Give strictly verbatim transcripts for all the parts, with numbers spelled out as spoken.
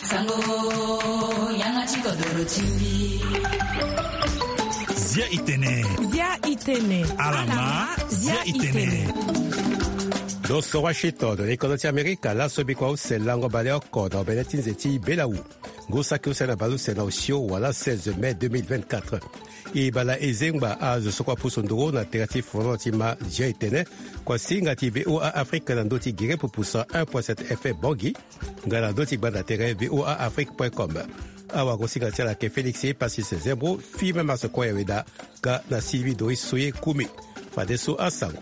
Sango, yanga ti kodoro ti mbi. Zia itene. Zia itene. Alama, zia itene. Lo so Washington, na kodro ti Amerika, laso bikua use lango baleoko na obene ti nze ti belawu. Ngu saki use na baleuse na osio wala seize mai deux mille vingt-quatre. E bala e zengba azo so kua pusu nduru na tere ti foro ti ma zia itene. Kua singa ti V O A Afrique na ndö ti gere pupusa un point sept F M Bangui. Nga na ndö ti gbanda tere V O A Afrique point com. Awagosinga ti ala ayeke Félix Passis Zembro, Firmin Marcekoi Aweda, nga na Sylvie Doris Soye Kumi. Fadeso asango.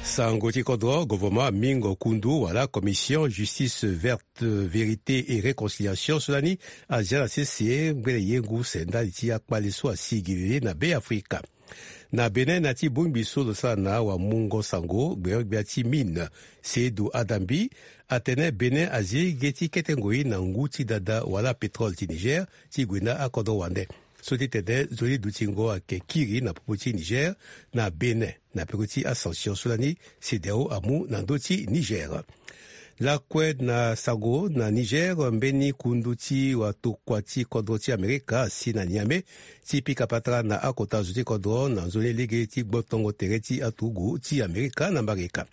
Sango ti kodro, gouvernement amingo kundu wala Commission Justice Verte, Vérité et Réconciliation so lani azia na sese ngbene yengu use ndali ti akpale so asigilili na Be Afrika. Na Bénin, na ti bongbi so lo sara na awamungo sango gbeogbia ti mine, Seydou Adambi, atene Bénin azi ge ti kete ngoi na ngu ti dada wala pétrole ti Niger ti gue na akodro wande. So ti tene nzoni dutingo ayeke kiri na popo ti Niger na Bénin na peko ti asanction so lani CEDEAO amu na ndö ti Niger. Lakue na sango na Niger, mbeni kundu ti watokua ti kodro ti Amerika asi na Niamey ti pika patara na akota zo ti kodro na nzoni lege ti gbotongo tere ti aturugu ti Amerika na Mbarika.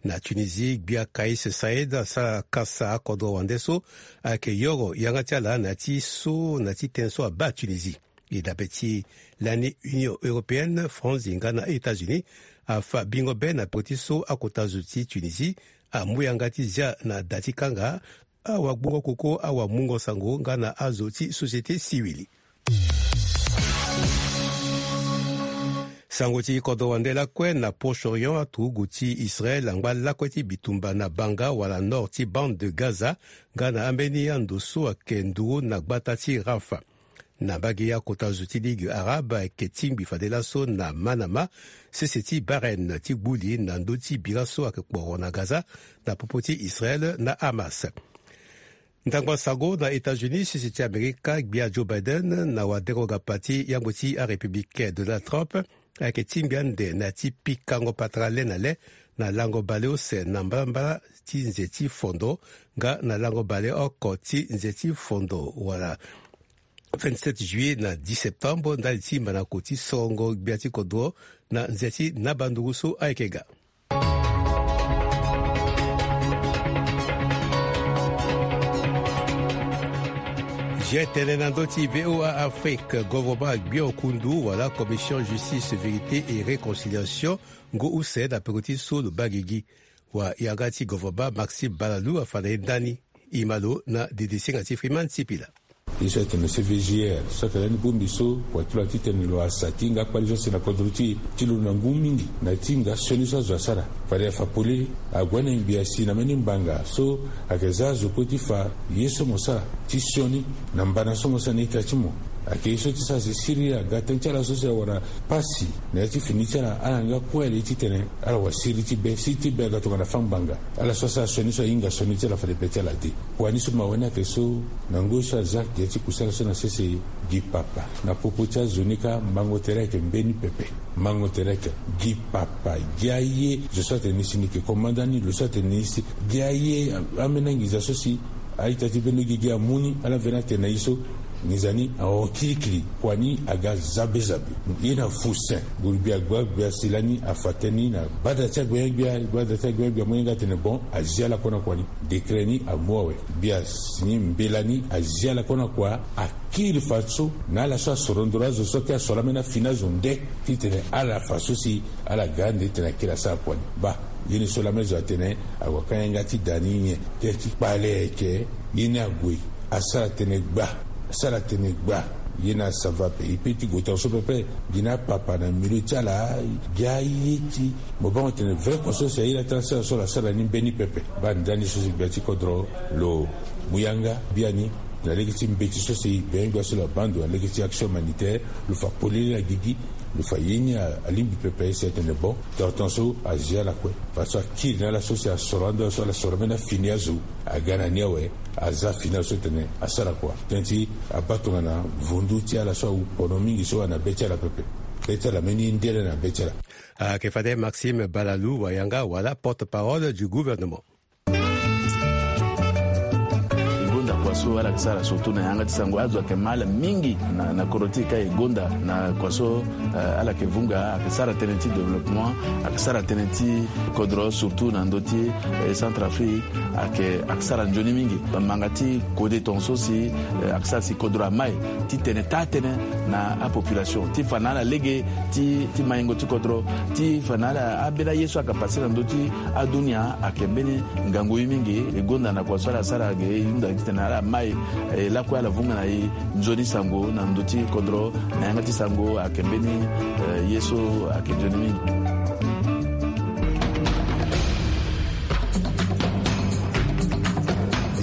Na Tunisie, gbia Kais Saied asara kasa akodro wande so ayeke yoro yanga ti ala na ya ti so na ti tënë so abaa Tunisie. E dape ti lani Union Européenne, France nga na États-Unis afa bingo be na peko ti so akota zo ti Tunisie amu yanga ti zia na da ti kanga awagbongo koko awamungo sango nga na azo ti société civile. Sango ti kodro wande lakue na Proche-Orient, aturugu ti Israël angba lakue ti bitumba na banga wala nord ti bande de Gaza nga na ambeni ando so ayeke nduru na gbata ti Rafah. Na mbage akota zo ti Ligue arabe ayeke tingbi fade laso na Manama, sese ti Bahreïn, ti gbu li na ndö ti bira so ayeke kporo na Gaza na popo ti Israël na Hamas. Ndangba sango na États-Unis, sese ti Amerika, gbia Joe Biden na wadero gapa ti yangbo ti arépublicain Donald Trump ayeke tingbi ande na ya ti pikango patara le na le na lango baleuse na mbalambala ti nze ti fondo nga na lango baleoko ti nze ti fondo wala vingt-sept juillet na dix septembre ndali ti manako ti sorongo gbia ti kodro na nze ti naba nduru so ayeke ga. Zia tene na ndö ti V O A Afrique, gouvernement agbio kundu wala Commission Justice, Vérité et Réconciliation ngu use na peko ti so lo baa gigi. Wa yanga ti gouvernement Maxime Balalou afa na e ndani. E ma lo na dede singa ti Freeman Sipila. Ye so atene C V G R so atene lani bongbi so wa ti lo ati tene lo asa ti hinga akpali so asi na kodro ti e ti lo na ngu mingi na ti hinga sioni so azo asara. Fade afa polele ague na ngbi asi na mbeni mbanga so ayeke za azo kue ti fa ye so mo sara ti sioni na mbana so mo sara na ita ti mo. Ayeke ye so ti sara si siriri aga tënë ti ala so si awara pasi na ya ti fini ti ala, ala nga kue ale ti tene ala wa siriri ti be, siriri ti be aga tongana fa ngbanga. Ala so asara sioni so ahinga sioni ti ala fade be ti ala te. Kua ni so mawe ni ayeke so na ngoi so aza gi ya ti kusala so na sese gi papa. Na popo ti azo ni kâ mango tere ayeke mbeni pepe. Mango tere ayeke gi papa, gi aye zo so atene ni si ni yeke komanda ni, lo so atene ni si gi aye, ambeni anginza so si a-ita ti bendo gigi amu ni, ala veni atene na ye so nginza ni ahon kirikiri. Kua ni aga zabezabe. Ye na fusen, guru gbia gbia gbia si lani afa tënë ni na gbada ti agbenya gbia, gbada ti agbenya gbia mu yanga atene bon, azi ala kue na kua ni. Décret ni amu awe. Gbia si ni mbela ni azi ala kue na kua, akiri fadeso na ala so asoro ndoro azo so kâ asoro ambeni afini azo nde ti tene ala fa so si ala ga ande ti tene akiri asara kua ni. Baa, ye ni so lame zo atene ague akanga yanga ti da ni nyen? Tënë ti kpale ayeke ye ni ague asara tënë gba, asara tënë gba. Ye ni asava pe, e pe ti gue tongaso pepe. Gi na apapa na milieu ti ala, gi aye ti mo bango tene vrai conscience aye la ti ala sara so lo asara ni mbeni pepe. Baa ndani so si gbia ti kodro lo mu yanga biani na lege ti mbeti so si gbia gbia so lo abaa ndo na lege ti action humanitaire, lo fa polele na gigi, lo fa ye ni a, alingbi pepe si atene bon, tongaso azi ala kue. Fadeso akiri na ala so si asoro ando so ala soro ambeni afini azo, aga na ni awe, aza fini azo so tene asara kua. Tënë ti abaa tongana vundu ti ala so awu pono mingi so ana be ti ala pepe. Be ti ala mbeni ndele na be ti ala. Ayeke fade Maxime Balalou Wayanga wala porte-parole du gouvernement. E gonda kua so ala yeke sara surtout na yanga ti sango, azo ayeke ma ala mingi na, na kodro ti e ka e gonda na kua so, eh, ala yeke vunga, ayeke sara tënë ti développement, ayeke sara tënë ti kodro surtout na ndö ti, eh, Centrafrique, ayeke, ayeke sara nzoni mingi. Manga ti kode tongaso si, eh, ayeke sara si kodro amai titene taa tënë na apopulation ti fa na ala lege ti, ti maingo ti kodro, ti fa na ala ambeni aye so ayeke pase na ndö ti adunia ayeke mbeni ngangu ye mingi. E gonda na kua so ala sara ge e hunda titene ala mai, eh, lakue ala vunga na e nzoni sango na ndö ti kodro na yanga ti sango ayeke mbeni, eh, ye so ayeke nzoni mingi.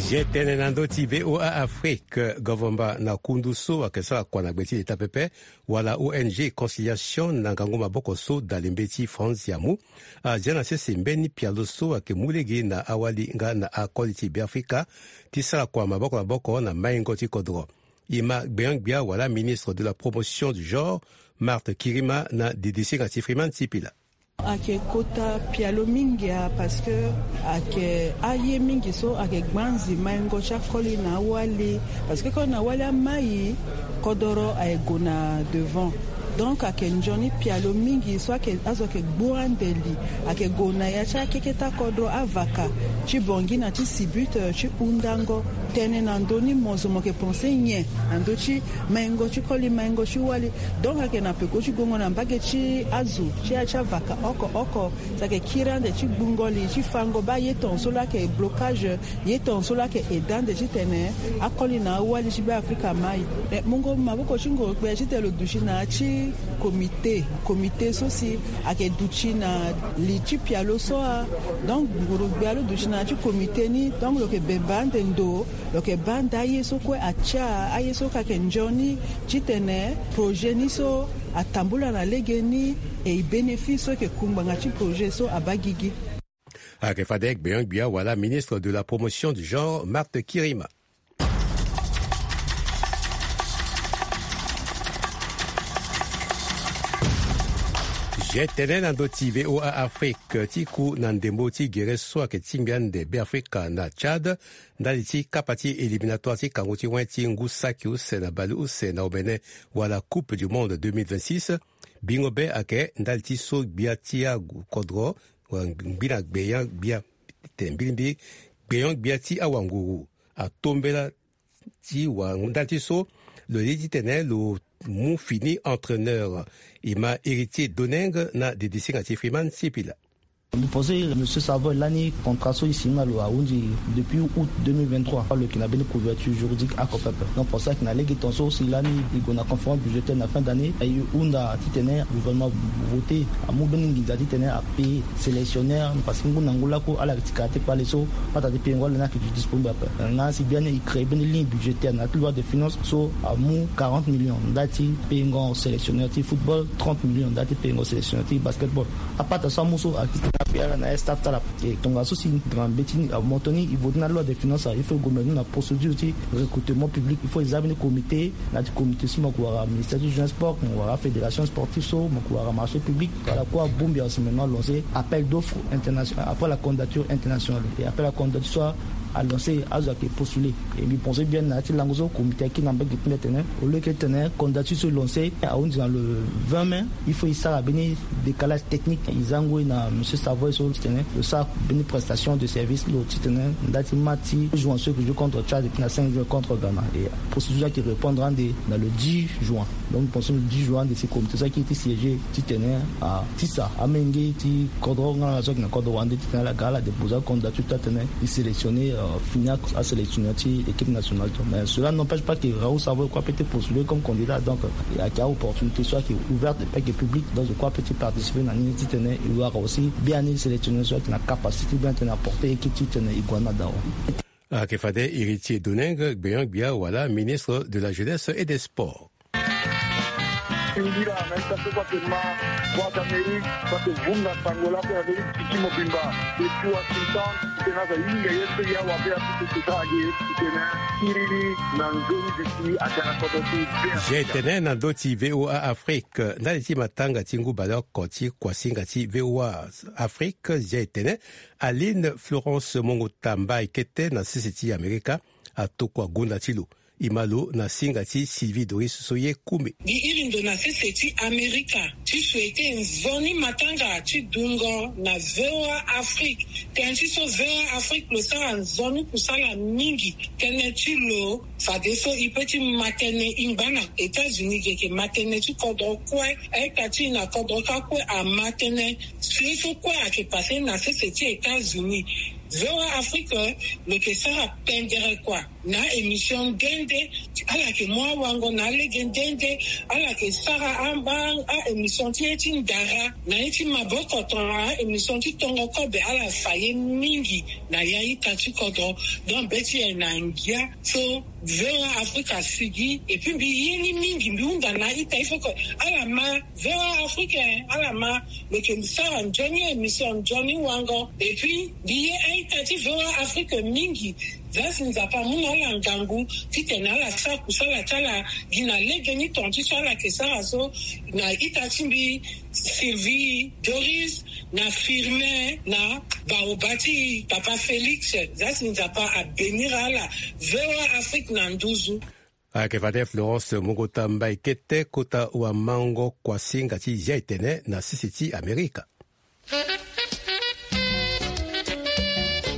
Zia tënë na ndö ti V O A Afrique, government na kundu so ayeke sara kua na gbe ti leta pepe, wala O N G Conciliation na ngangu maboko so dalembe ti France amu, azia na sese mbeni pialo so ayeke mu lege na awali nga na akoli ti Beafrika ti sara kua maboko na maboko na maingo ti kodro. E ma gbenyo-gbia wala ministre de la promotion du genre, Marthe Kirima, na didisinga ti Freeman Sipila. Ayeke kota pialo mingi a, parce que ayeke aye mingi so ayeke gbanzi maingo ti akoli na awali, parce que koli na awali amai, kodoro ayeke gue na devant. Donc ayeke nzoni pialo mingi so ayeke, azo ayeke gbu ande li, ayeke gue na ya ti akeketa kodro, avaka ti Bangui na ti Sibut, eh, ti hundango tënë na ndö ni mo zo mo yeke pense nyen na ndö ti maingo ti koli, maingo ti wali. Donc ayeke na peko ti gongo na mbage ti azo ti ya ti avaka oko oko. So ayeke kiri ande ti gbungo li ti fango baa ye tongaso laa ayeke blocage, ye tongaso laa ayeke aide ande titene akoli na awali ti Beafrika amai. Eh, mungo maboko ti nguru-gbia titene lo duti na ya ti comité, comité so si ayeke duti na li ti pialo so a. Donc nguru-gbia lo duti na ya ti comité ni, donc lo yeke bembe ande ndo, lo yeke baa ande aye so kue atia, aye so kue ayeke nzoni titene projet ni so atambula na legeni, e bénéfice so yeke ku ngbanga ti projet so abaa gigi. Ayeke fade gbenyo-gbia wala ministre de la promotion du genre, Marthe Kirima. Zia tënë na ndö ti V O A Afrique, ti ku na ndembo ti gere so ayeke tingbi ande Beafrika na Tchad ndali ti kapa ti éliminatoire ti kango ti wen ti ngu saki use na bale use na omene, wala Coupe du Monde deux mille vingt-six. Bingo be ayeke ndali ti so gbia ti akodro, wala ngbi na gbenyo-gbia, tene mbilimbili gbenyo-gbia ti awanguru atombela ti wa ndali ti so lo ye titene lo mu fini entraîneur. E ma Héritier Doneng na didisinga ti Freeman Sipila. Mbi pense Monsieur Savoy lani contrat so e signé na lo ahunzi depuis août deux mille vingt-trois. Lo yeke na mbeni couverture juridique oko pepe. Donc pour ça ayeke na lege tongaso si lani e gue na conférence budgétaire na fin d'année, e hunda titene gouvernement voté amu mbeni nginza titene apaye sélectionneur, parce que ngu na ngu laku ala yeke ti kara ti kpale so, pata ti payengo ala ni ayeke duti disponible ape. Na si biani e créé mbeni ligne budgétaire na ya ti loi de finance so amu quarante millions ndali ti payengo sélectionneur ti football, trente millions ndali ti payengo sélectionneur ti basketball. Apata so amu so ayeke titene apaye ala na ya staff ti ala. E tongaso si na mbeti ni amoto ni e voté na loi de finance, il faut e gue mbeni na procédure ti recrutement public, il faut e za mbeni comité, na ya ti comité so mo yeke wara ministère ti jeunesse sport, mo yeke wara fédération sportive so, mo yeke wara marché public. Ala kue abongbi awe si maintenant lancer appel d'offre international après la candidature internationale. Et après la candidature so alancer, azo ayeke postuler. E mbi pense bien na ya ti lango so comité ayeke na mbage ti mbi atene, au lieu que titene candidature so e lancer ahunzi na le vingt mai, il faut e sara mbeni décalage technique. E za ngoi na Monsieur Savoy so titene lo sara mbeni prestation de service, lo titene ndali ti match ti juin so e yeke jouer contre Tchad et puis na cinq juin contre Ghana. Et procédure so ayeke répondre ande na le dix juin. Donc mbi pense le dix juin ande si comité so ayeke ti siéger titene atisa amenge ti kodro nga na so ayeke na kodro wande titene ala ga ala déposer acandidature ti atene e sélectionner, euh, fini asélectionneur ti équipe nationale. Mais cela n'empêche pas que Raoul Savoy kue apeut ti postuler comme candidat. Donc, euh, ayeke aopportunité so ayeke ouverte, ayeke publique. Donc je crois apeut ti participer na ni titene e wara aussi biani sélectionneur so ayeke na capacité bien titene apporter équipe titene e gue na dao. Ayeke fade Héritier Doneng, gbenyo-gbia wala ministre de la jeunesse et des sports. Singila na ita so kue atene ma Voix d'Amérique, kue ate vunga sango lakue na ndö ti tiki mobimba. Depuis Washington. Tena so ahinga ye so ya wabe apupu ti sara gi titene akiri ni na nzoni ti si atene kodro ti ve. Zia etene na ndö ti V O A Afrique ndali ti matanga ti ngu baleoko ti kuasinga ti V O A Afrique. Zia etene Aline Florence Mongota Mbaye Kete na sese ti Amerika atokua gonda ti lo. E ma lo na singa ti Sylvie Doris so ye kume. Mbi iri ndo na sese ti Amerika ti souhaite nzoni matanga ti dungo na V O A Afrique. Tënë ti so V O A Afrique lo sara nzoni kusala mingi. Tënë ti lo fadeso e pe ti ma tënë e ngba na États-Unis ge yeke ma tënë ti kodro kue. Aita ti e na kodro kâ kue ama tënë. Si ye so kue ayeke pase na sese ti États-Unis. V O A Afrique lo yeke sara pendere kua. Na émission nde nde ala yeke mu awango na alege nde nde. Ala yeke sara amba a-émission ti ye ti ndara na ye ti maboko tongana a-émission ti tongo kobe. Ala fa ye mingi na ya ita ti kodro. Donc be ti e na ngia so V O A Afrique asigi. Et puis mbi ye ni mingi, mbi hunda na ita il faut que ala ma V O A Afrique, ala ma lo yeke sara nzoni émission nzoni wango. Et puis mbi ye a-ita ti V O A Afrique mingi. Za si Nzapa amu na ala ngangu titene ala sara kusala ti ala gi na legeni tonga ti so ala yeke sara so na ita ti mbi Sylvie Doris na Firmin na baoba ti Papa Félix. Za si Nzapa abénir ala. V O A Afrique na nduzu. Ayeke fade Florence Mongota Mbaye Kete kota wamango kuasinga ti zia etene na sese ti Amerika.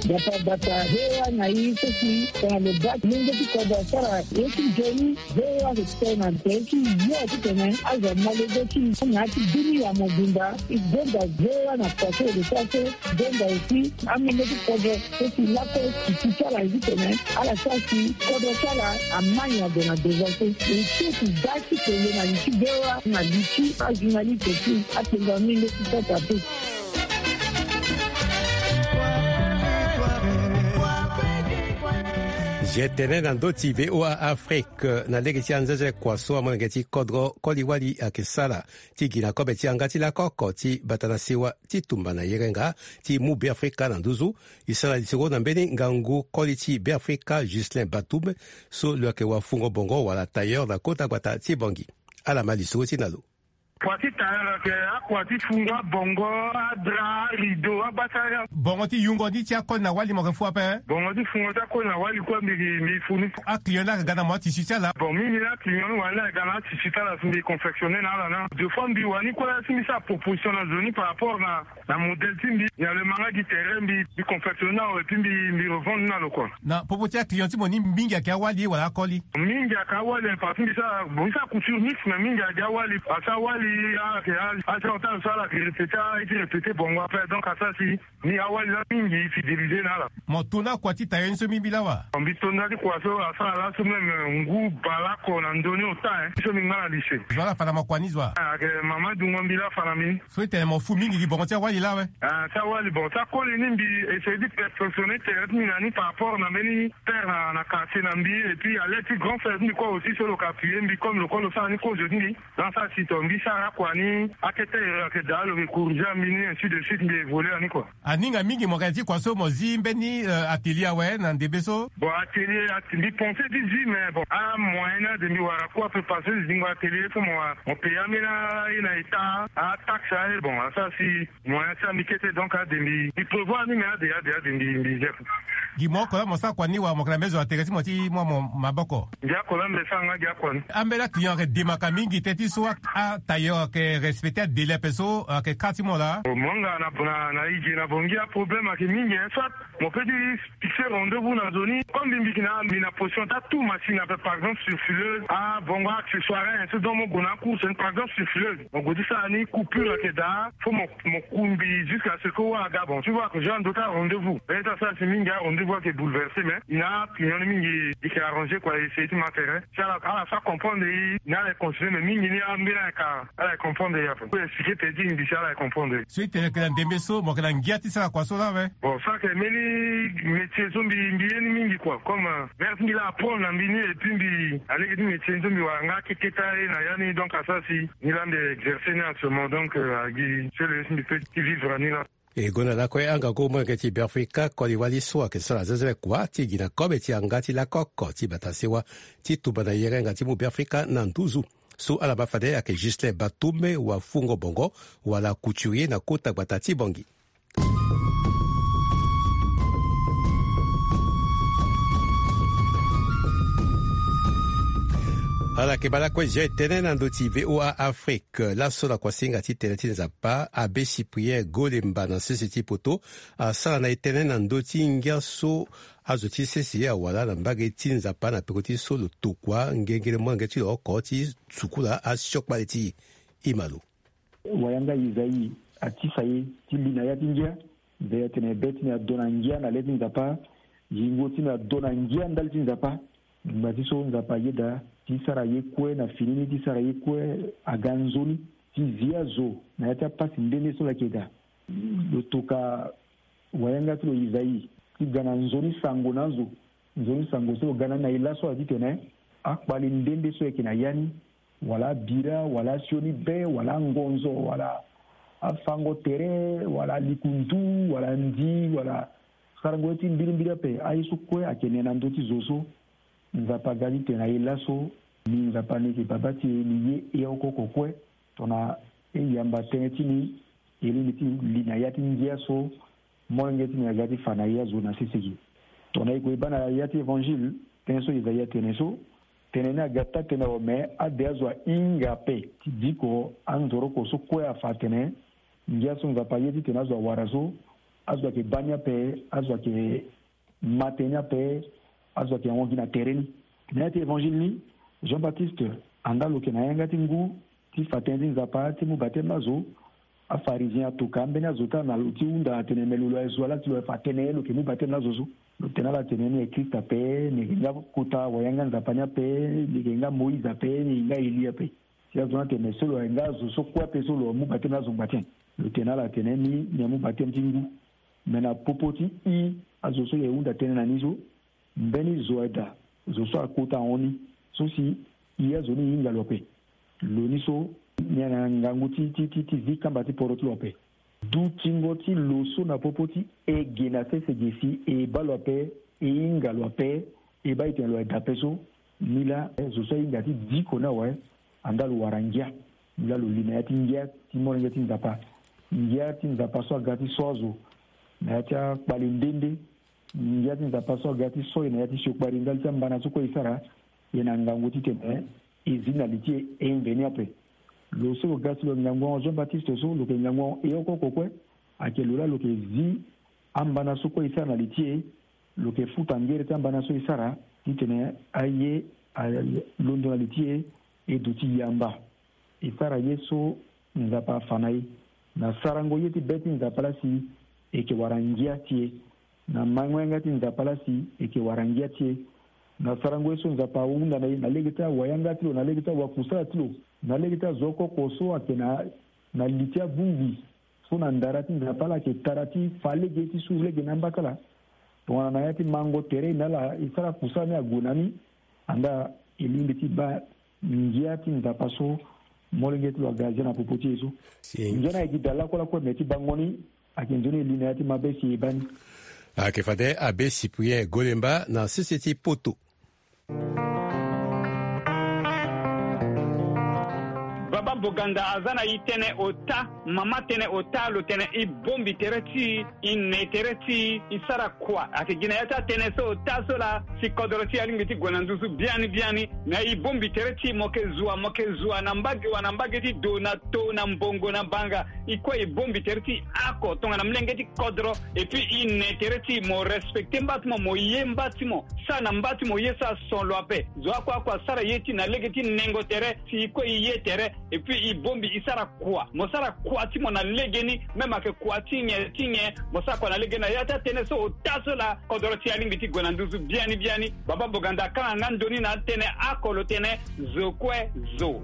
Bata bata hewa na ye so si tongana lo baa ti lenge ti kodro asara ye ti nzoni. Hewa ayeke tene na tere ti yo titene azo amalege ti na ya ti dunia mobimba. E gonda hewa na kua so e lo sara so. Donda aussi amolenge ti kodro so si lakue ti ti ti ala ye titene ala sara si kodro ti ala ama nyen ade na devant so. E so ti da ti tene na li ti V O A na li ti ajournaliste ti atene na molenge ti kota pe. Zia etene na ndö ti V O A Afrique na lege ti anzenze kua so amolenge ti kodro koli wali ayeke sara ti gi na kobe ti yanga ti lako oko ti bata na sewa ti tumba na yerenga ti mu Beafrika na nduzu. E sara lisoro na mbeni ngangu koli ti Beafrika Ghislain Batum so lo yeke wafungo bongo wala tailleur na kota gbata ti Bangui. Ala ma lisoro ti na lo. Kua ti tailleur ayeke akua ti fungo abongo, adra, arideau, agbasara. Bongo ti yungo ni ti akoli na wali mo yeke fu ape? Bongo ti fungo ti akoli na wali kue mbi, mbi fu ni. Aclient ni ayeke ga na mo atisi ti ala? Bon, mingi ni aclient ni wani ayeke ga na atisi ti ala si mbi confectionner na ala na. Deux fois mbi wani kue si mbi sara proposition na zo ni par rapport na na modèle ti mbi, na lo ma nga gi tere mbi, mbi confectionner na lo et puis mbi, mbi revendre na lo kua. Na popo ti aclient ti mo ni mingi ayeke awali wala akoli? Mingi ayeke awali, parce que mbi sara, bon, mbi sara couture mixte, mais mingi ayeke awali. Asi awali, ayeke a-, asi aota lo so ala yeke répéter, a-, e ti répéter bongo après. Donc asara si ni awali laa mingi e fidéliser na ala. Mo to na akua ti tailleur ni so mingi laa wa? Mbi to na ti kua so asara laso même ngu baleoko na ndö ni ota, hein. So mbi ngba na lycée. Zo ala fa na mo kua ni zo wa? Ah, ayeke mama dungo mbi laa fa na mbi. So e tene mo fu mingi gi bongo ti awali laa awe? Ah, ti awali, bon, ti akoli ni mbi essayer ti perfectionner tere ti mbi na ni par rapport na mbeni père na, na quartier na mbi, et puis à l'aide ti grand frère ti mbi kue aussi so lo yeke appuyer mbi comme lo kue lo sara ni kozo ti mbi. Donc asara si to mbi sara akua ni, akete ere ayeke daa lo yeke corriger mbi ni, ainsi de suite, mbi évoluer na ni quoi. Aninga mingi mo yeke na ya ti kua so mo zi mbeni, euh, atelier awe na ndembe so? Bon, atelier, at-, mbi pensé ti zi, mais bon, amoyen ni ade mbi wara kue ape parce que zingo atelier so mo, mo payer ambeni aye na état, ataxe aye, bon, asara si moyen ti ambi kete, donc ade mbi, mbi prévoir ni, mais ade, ade, ade mbi, mbi zia. Gi mo oko laa mo sara kua ni wala mo yeke na mbeni zo na tere ti mo ti mu amo maboko? Gi oko laa mbi sara nga gi akua ni. Ambeni aclient ayeke demaka mingi teti so a, atailleur ayeke respecter adélai ape so ayeke kâ ti mo laa? Mo nga na, na, na e ge na Bangui, aproblème ayeke mingi, hein, soit mo peut ti fixer rendez-vous na zo ni, comme mbi, mbi yeke na, mbi na position ti atu machine ape, par exemple surfileuse, abongo accessoire, hein, so donc mo gue na acourse ni, par exemple surfileuse, mo gue ti sara ni, coupure ayeke daa, faut mo, mo ku mbi jusqu'à ce que wâ aga. Bon, tu vois que je dois ndo ti arendez-vous. Peut-être asara si mingi arendez-vous ayeke bouleversé, mais e na aclient ni mingi e yeke arrangé quoi, e essayer ti ma tere. Si ala, ala sara comprendre e, ni ala yeke continuer, mais mingi ni ambeni ayeke, ala yeke comprendre e ape. Mbi expliquer peut-être mbi si ala yeke comprendre e. So e tene yeke na ndembe so mo yeke na ngia ti sara kua so laa awe? Bon, so ayeke mbeni métier so mbi, mbi ye ni mingi quoi. Comme, euh, mère ti mbi laa apprendre na mbi ni, et puis mbi, alege ti métier ni so mbi wara nga akeketa ye na ya ni, donc asara si ni laa mbi exercer ni actuellement, donc, euh, agi so lo ye si mbi peut ti vivre na ni laa. E gonda lakue angangu molenge ti Beafrika koli wali so ayeke sara zezele kua ti gi na kobe ti yanga ti lako oko ti bata sewa ti tumba na yere nga ti mu Beafrika na nduzu. So ala baa fade ayeke Ghislain Batumbe wa Fungo Bongo wala couturier na kota gbata ti Bangui. Ala yeke baa lakue zia e tënë na ndö ti V O A Afrique. Laso na kuasinga ti tënë ti Nzapa, Abbé Cyprien Golemba na sese ti poto asara na e tënë na ndö ti ngia so azo ti sese awara na mbage ti Nzapa na peko ti so lo tokua ngengele molenge ti lo oko ti sukula asiokpale ti e. Ima lo. Wayanga Isaïe atisa e ti li na ya ti ngia. Mbi atene be ti mbi ado na ngia na le ti Nzapa. Yingo ti mbi ado na ngia ndali ti Nzapa. Ngba ti so Nzapa ayeda ti sara ye kue na fini ni, ti sara ye kue aga nzoni ti zi azo na ya ti apasi nde nde so lo yeke daa. Lo toka wayanga ti lo Isaïe ti ga na nzoni sango na azo. Nzoni sango so lo ga na ni na e laso ala titene akpali nde nde so ayeke na ya ni, wala abira, wala asioni be, wala angonzo, wala afango tere, wala alikundu, wala ndi, wala sarango ye ti mbirimbiri ape. Aye so kue ayeke ne na ndö ti zo so Nzapa aga titene na e laso, ni Nzapa ni yeke baba ti e, ni ye e oko oko kue. Tongana e yamba tënë ti ni, e lingbi ti li na ya ti ngia so molenge ti ni aga ti fa na e azo na sese gi. Tongana e gue e baa na ya ti Évangile, tënë so Isaïe atene so, tënë ni aga taa-tënë awe, me ade azo ahinga ape ti diko anzoroko so kue afa atene ngia so Nzapa aye titene azo awara so, azo ayeke baa ni ape, azo ayeke ma tënë ni ape, azo ayeke hongi na tere ni. Na ya ti Évangile ni, Jean-Baptiste, anda lo yeke na yanga ti ngu ti fa tënë ti Nzapa ti mu bateme na azo, aPharisien atoka ambeni azo ti ala na lo ti hunda atene me lo, lo aye zo ala ti lo aye fa tënë lo yeke mu bateme na azo so. Lo tene ala tene ni aye Christ ape, ni yeke nga kota wayanga Nzapa ni ape, ni yeke nga Moïse ape, ni yeke nga Élie ape. Si azo ni atene me so lo aye nga azo so kue ape so lo amu bateme na azo ngba ti nyen? Lo tene ala atene ni, ni amu bateme ti ngu. Me na popo ti i azo so e hunda tënë na ni so, mbeni zo aye daa, zo so akota ahon ni, so si i azo ni e hinga lo ape. Lo ni so ni ayeke na ngangu ti, ti, ti, ti zi kamba ti poro ti lo ape. Dutingo ti lo so na popo ti e ge na sese ge si e baa lo ape, e hinga lo ape, e baa e tene lo aye daa ape so, ni laa, eh, zo so ahinga ti diko ni awe, andaa lo wara ngia. Ni laa lo li na ya ti ngia ti molenge ti Nzapa. Ngia ti Nzapa so aga ti so azo na ya ti akpale nde nde. Ngia ti Nzapa so aga ti so e na ya ti siokpari ndali ti ambana so kue e sara, e na ngangu titene e zi na li ti e, e mveni ape. Lo so lo ga si lo ngangu ahon Jean-Baptiste so, lo yeke ngangu ahon e oko oko kue. Ayeke lo laa lo yeke zi ambana so kue e sara na li ti e. Lo yeke futa ngere ti ambana so e sara titene aye alondo na li ti e, e duti yamba. E sara ye so Nzapa afa na e. Na sarango ye ti be ti Nzapa laa si e yeke wara ngia ti e. Na mango yanga ti Nzapa laa si e yeke wara ngia ti e. Na sarango ye so Nzapa ahunda na e na lege ti awayanga ti lo, na lege ti awakusala ti lo, na lege ti azo oko oko so ayeke na, na li ti abongbi so na ndara ti Nzapa laa ayeke tara ti fa lege ti su lege na amba ti ala. Tongana na ya ti mango tere na ala e sara kusala ni ague na ni, andaa e lingbi ti baa ngia ti Nzapa so molenge ti lo aga zia na popo ti e so. Si. Ngia ni ayeke gi daa lakue lakue me ti bango ni, ayeke nzoni e li na ya ti mabe si e baa ni. Ayeke fade Abbé Cyprien Golemba na sese ti poto. Baba Boganda aza na e tënë ota, mama tënë ota, lo tene e bongbi tere ti e, e ne tere ti e, e sara kua. Ayeke gi na ya ti atënë so ota so laa si kodro ti e alingbi ti gue na nduzu biani biani. Na e bongbi tere ti e, mo yeke zua, mo yeke zua na mbage wa na mbage ti do na to na mbongo na banga. E kue e bongbi tere ti e oko tongana molenge ti kodro. Et puis e ne tere ti e, mo respecter mba ti mo, mo ye mba ti mo, sara na mba ti mo ye so ason lo ape. Zo oko oko asara ye ti e na lege ti nengo tere, si e kue e ye tere. Et puis e bongbi e sara kua. Mo sara kua ti mo na legeni, même ayeke kua ti nyen ti nyen, mo sara kua na legeni. Na ya ti atënë so ota so laa kodro ti e alingbi ti gue na nduzu biani biani. Baba Boganda akanga nga ndo ni na atënë oko, lo tene zo kue zo.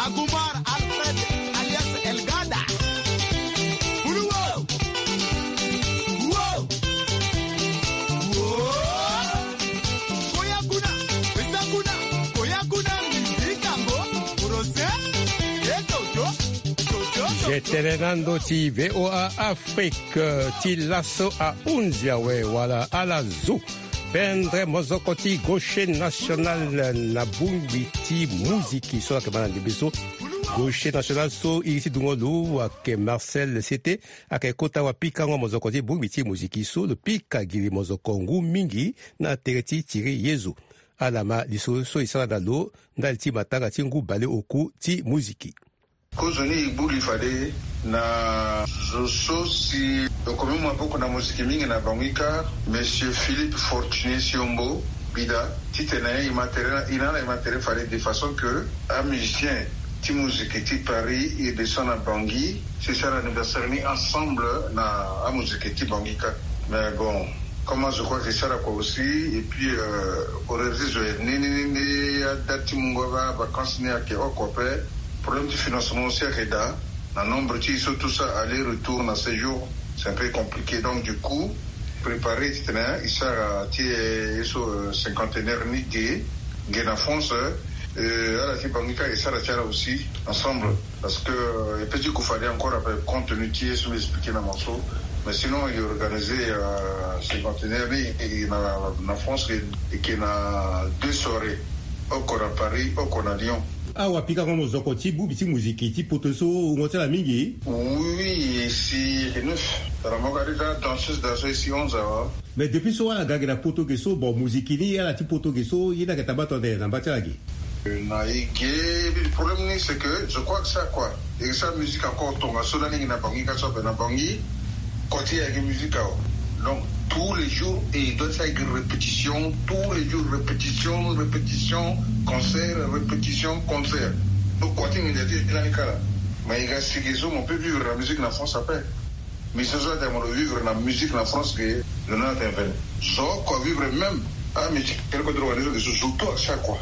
Agumar Alfred alias El Gada. Uluwo. Wo. Wo. Koya kuna, pesa kuna, koya kuna, miziki yango, rose, ye toto, toto, toto. Tene na ndo ti V O A Afrique, ti laso ahunzi awe wala ala zu. Pendre mozoko ti gaucher national na bongbi ti muziki so ayeke ma na ndembe so. Gaucher national so iri ti dungo lo ayeke Marcel Sete, ayeke kota wapikango mozoko ti bongbi ti muziki so lo pika gi li mozoko ngu mingi na tere ti tiri ye zo. Ala ma lisoro so e sara na lo ndali ti matanga ti ngu baleoku ti muziki. Kozoni e gbu li fade na zo so si lo komi mu maboko na moziki mingi na Bangui kâ, Monsieur Philippe Fortuné Siombo Bida, titene e ma tere na, e na ala e ma tere fade de façon que amusicien ti moziki ti Paris e descend na Bangui, si e sara anniversaire ni ensemble na amoziki ti Bangui kâ. Mais bon, comme je crois que e sara kua aussi, et puis, euh, horaire ti zo e ni, ni, ni, ni, adate ti mungo ava, vacances ni ayeke oko ape. Problème ti financement aussi ayeke daa. Na nombre ti e so tout ça, aller-retour na séjour, c'est un peu compliqué. Donc du coup, préparer titene e sara ti e so, euh, cinquantenaire ni ge, ge na France, euh, ala ti Bangui kâ e sara ti ala aussi ensemble. Parce que, euh, e peut ti gue fade encore après, compte tenu ti ye so mbi expliqué na mo so. Mais sinon, il est organisé, euh, cinquantenaire ni, et na, na France, et, et que na deux soirées. Oko na Paris, oko na Lyon. Awa pikango mozoko ti bongbi ti muziki ti poto so wungo ti ala mingi. Oui, e si e neuf. Tara mo ga déjà danseuse, danseuse e si onze awa. Mais depuis so ala ga gi na poto ge so, bon, muziki ni ala ti poto ge so, ye ni ayeke taba tonde na mba ti ala ge. Na e ge, problème ni, c'est que je crois que ça, quoi. E sa musique encore tongaso lani gi na Bangui, ka so ape na Bangui, koti e ayeke musique awa. Donc, tous les jours, e doit ti ayeke répétition, tous les jours, répétition, répétition, concert, répétition, concert. Donc, koti nginza ti e lani kala. Mais e ga si ge so, mo peut vivre na musique na France ape. Mais ce soir, mo lo vivre na musique na France que le nom est venu. So, quoi, vivre même. Ah, mais quel côté organisé de ce surtout à chaque fois.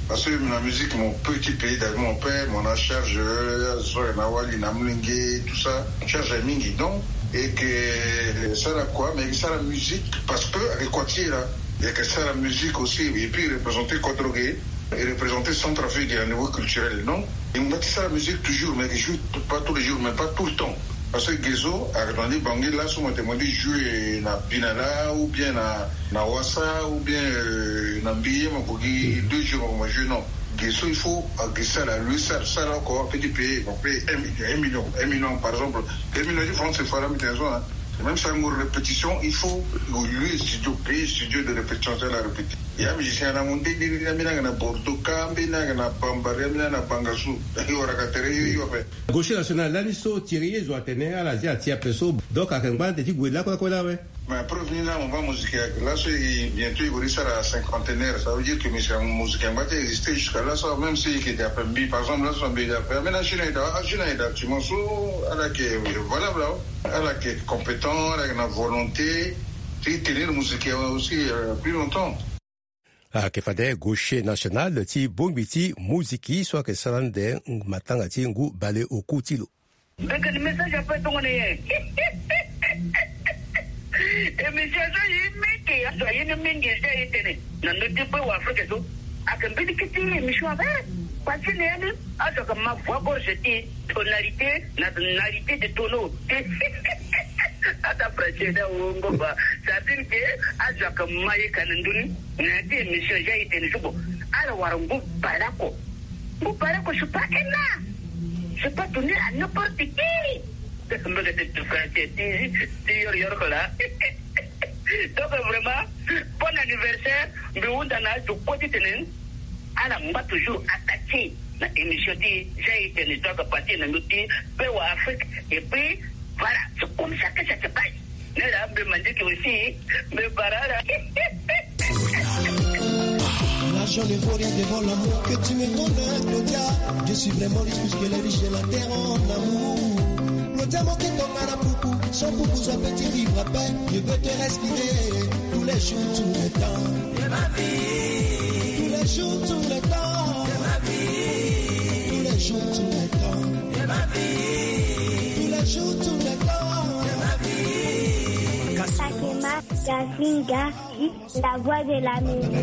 Parce que la musique, mon petit pays, dans mon père, mon a charge, euh, so, na wali, na mlingue, tout ça, charge mingi. Donc, et que ça, là, quoi, mais ça, la musique, parce que, avec quoi tu es là, il y a que ça, la musique aussi, et puis représenter Kodrogué, et représenter Centrafrique à un niveau culturel, non? E ngba ti sara musique toujours, mais je joue pas tous les jours, mais pas tout le temps. Parce que ge so, ayeke na ni Bangui laso mo yeke mo di jouer na Binala, ou bien na, na Wassa, ou bien, euh, na Mbiye, mo ko gi deux jours mo jouer, non. Ge so, il faut, ah, ge sara, lui sara, sara oko, petit pays, on paye un million, un million, un million, par exemple. Un million de francs, c'est fort, hein. Même ça, une répétition, il faut louer studio, payer studio de répétition, c'est la répétition. Ya musicien na mo nde, nde, nde, mbi na yeke na Bordeaux, ka mbi na yeke na Bambari, mbi na yeke na Bangassou. Yo, wara ka tere yo, yo, ape. Gaucher national lani so Thierry Yezo atene ala zia ti ape so. Donc ayeke ngba ande ti gue lakue lakue la awe. Mais preuve ni la, mo baa musique ayeke laso, e bientôt e gue ti sara cinquantenaire. Ça veut dire que musique, musique angba ti exister jusqu'à laso, même si e yeke daa ape mbi, par exemple, laso mbi daa ape. Mais na jeune aye daa, ah, jeune aye daa, actuellement so, ala yeke valable, hein. Ala yeke compétent, ala yeke na volonté ti tenir musique aussi, euh, plus longtemps. Ayeke fade gaucher national ti bongbi ti muziki so ayeke sara ande matanga ti ngu baleoku ti lo. Mbekani message ape tongana nyen? Émission so ye meke azo aye ni mingi, je aye tene na ndö ti pe wa Afrique so. Ayeke mbeni kete émission ape. Pasi na ya ni azo ayeke ma voix gorge ti tonalité na tonalité de tonneau. Ata français ni awongo ba. Ça veut dire que azo ayeke ma ye ka na ndö ni. Na ya ti émission je aye tene so, bon, ala wara ngu baleoko. Ngu baleoko, c'est pas un art. C'est pas donné à n'importe qui. Mbege ti français ti, ti yoro yoro ko la. Donc vraiment, bon anniversaire. Mbi hunda na azo kue ti tene ala ngba toujours attaché na émission ti je aye tene so ayeke partir na ndö ti pe wa Afrique. Et puis voilà, c'est comme ça que ça se passe. Nera mbe mandiki aussi, mbe barara. L'argent ne vaut rien devant l'amour que tu me donnes, Claudia. Je suis vraiment riche plus que les riches de la terre en amour. Claudia, mon tonga na puku, sans puku, soit petit vivre à peine. Je veux te respirer tous les jours, tout le temps. De ma vie. Tous les jours, tout le temps. De ma vie. Tous les jours, tout le temps. De ma vie. Tous les jours, tout le temps. De ma vie. Fatima Gazinga, la voix de l'Amérique.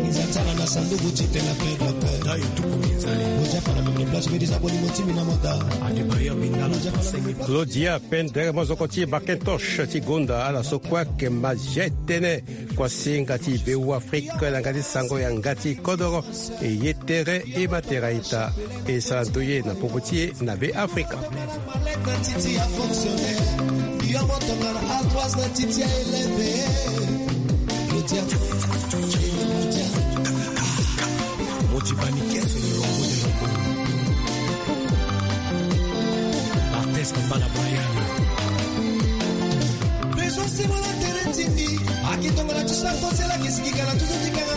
Claudia Pendre, mozoko ti Macintosh ti gonda ala so kue ayeke ma zia etene. Kuasinga ti Beoafrika na yanga ti sango yanga ti kodoro. E ye tere e ma tere aita. E sara ndoye na popo ti e na Beafrika. Présence, c'est mon intérêt, Timbi. Aki tongana tu sa kosela kisikikana tu sa tikanga.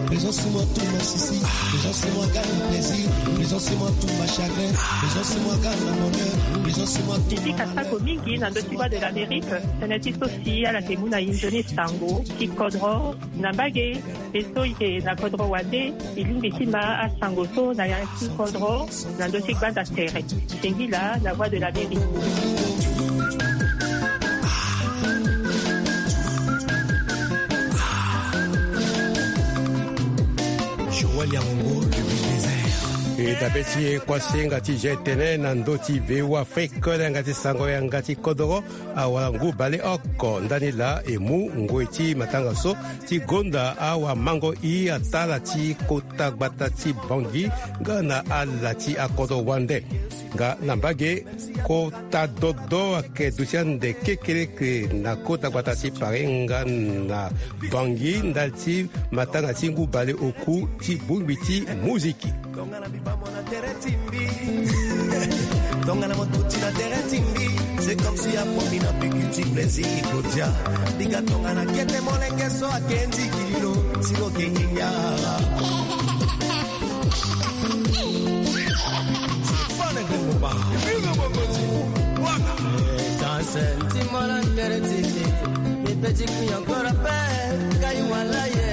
Présence, c'est moi tout ma souci. Présence, c'est moi gagne plaisir. Présence, c'est moi tout ma chagrin. Présence, c'est moi gagne mon bonheur. Présence, c'est moi tout. Ti kasako mingi na ndö ti Voix de l'Amérique. Tënë ti so si ala yeke mu na inzo ni sango ti kodro na mbage. E so e yeke na kodro wande, e lingbi ti ma asango so na ya ti kodro. Na ndö ti gbanda tere, singila na Voix de l'Amérique. Joël Yangongo, le désert. E dabe ti e kuasinga ti zia etene na ndö ti Beoafrika na yanga ti sango yanga ti kodoro. Awara ngu baleoko ndani laa e mu ngoi ti matanga so ti gonda awamango i atala ti kota gbata ti Bangui nga na ala ti akodro wande. Nga na mbage, kota dodo ayeke duti ande kekereke na kota gbata ti Paris nga na Bangui ndali ti matanga ti ngu baleoku ti bongbi ti muziki. Tongana mo tuti na tere ti mbi, c'est comme si apo mbi na piki ti plaisir kodia. Bika tongana kete molenge so ake nzikililo, si lo ke nginga. Fane de moba, bino bongoti, waka. Sanse, ti mola tere ti mbi. Mes petits cris encore appel, Kaiwalaye.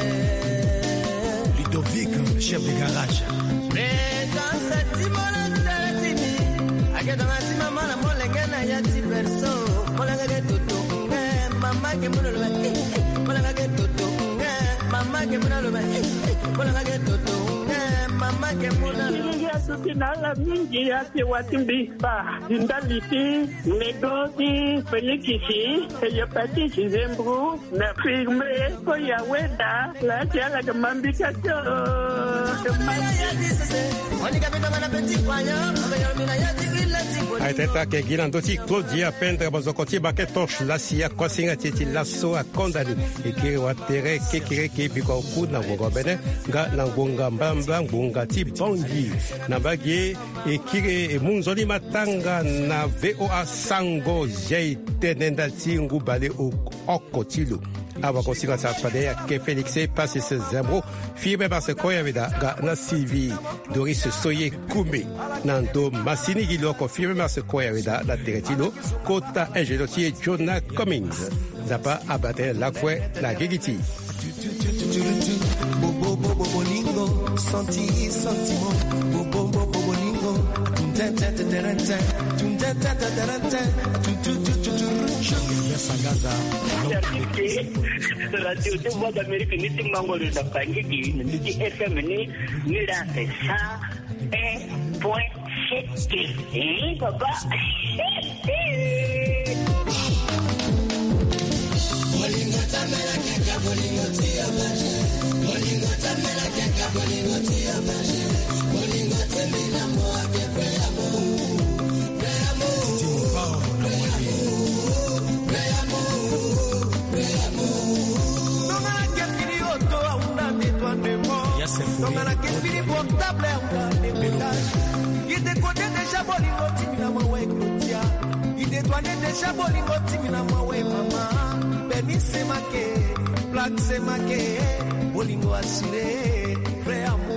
Ludovic, chef de garage. Présence, ti mola tere ti mbi. Ake tongana ti mama na molenge na ya ti berceau. Molenge ke toto, eh, mama ke muna loba, eh, eh, molenge ke toto, eh, mama ke muna loba, eh, eh, molenge ke toto, eh, mama ke muna loba. Silingi atuti na ala mingi, ake wa ti mbi. Ba, di ndali ti nego ti Félix, e ye pati ti Zembro, na firme, ko ya weda, la ti ala ke mambika tio. Aye teta ke gi na ndö ti Claudia Pendre, mozoko ti Macintosh, la si akuasinga ti e ti laso akonda ni. E kiri watere kekereke biko oku na ngonga bene, nga na ngonga mbalambala ngonga ti Bangui. Na mbage, e kiri e mu nzoni matanga na V O A Sango, zia e tene ndali ti ngu baleoko ti lo. Awakosinga ti fade ayeke Félix Pacis Zembro, firme Marse Koya Weda nga na Sylvie Doris Soye Koumé. Na ndo masini gi lo oko firme Marse Koya Weda na tere ti lo, kota ingénieur ti e Jonah Cummings. Nzapa abaa tënë lakue na gigi ti e. Bobobo bolingo, santi sentiment. Bobobo bolingo. Tunteteteterente. Tunteteteterente. Tututututu. Jean-Pierre Sangaza. Radio de Voix d'Amérique, ni ti mango ni na Bangui, ni ti F M ni, ni la sa un point sept. Eh, papa. Bolingo tambela keka, bolingo ti yo maje. Bolingo tambela keka, bolingo ti yo maje. Bolingo ti mina mo ake pe amour. Pe amour. Pe amour. Pe amour. Pe amour. Tongana ke fini oto ahunda détournement. Tongana ke fini portable ahunda décodage. Il décodait déjà bolingo ti mina mo avec Claudia. Il détournait déjà Sha bolingo timi na mawe mama. Benise make, plaque se make, bolingo assuré, vrai amour.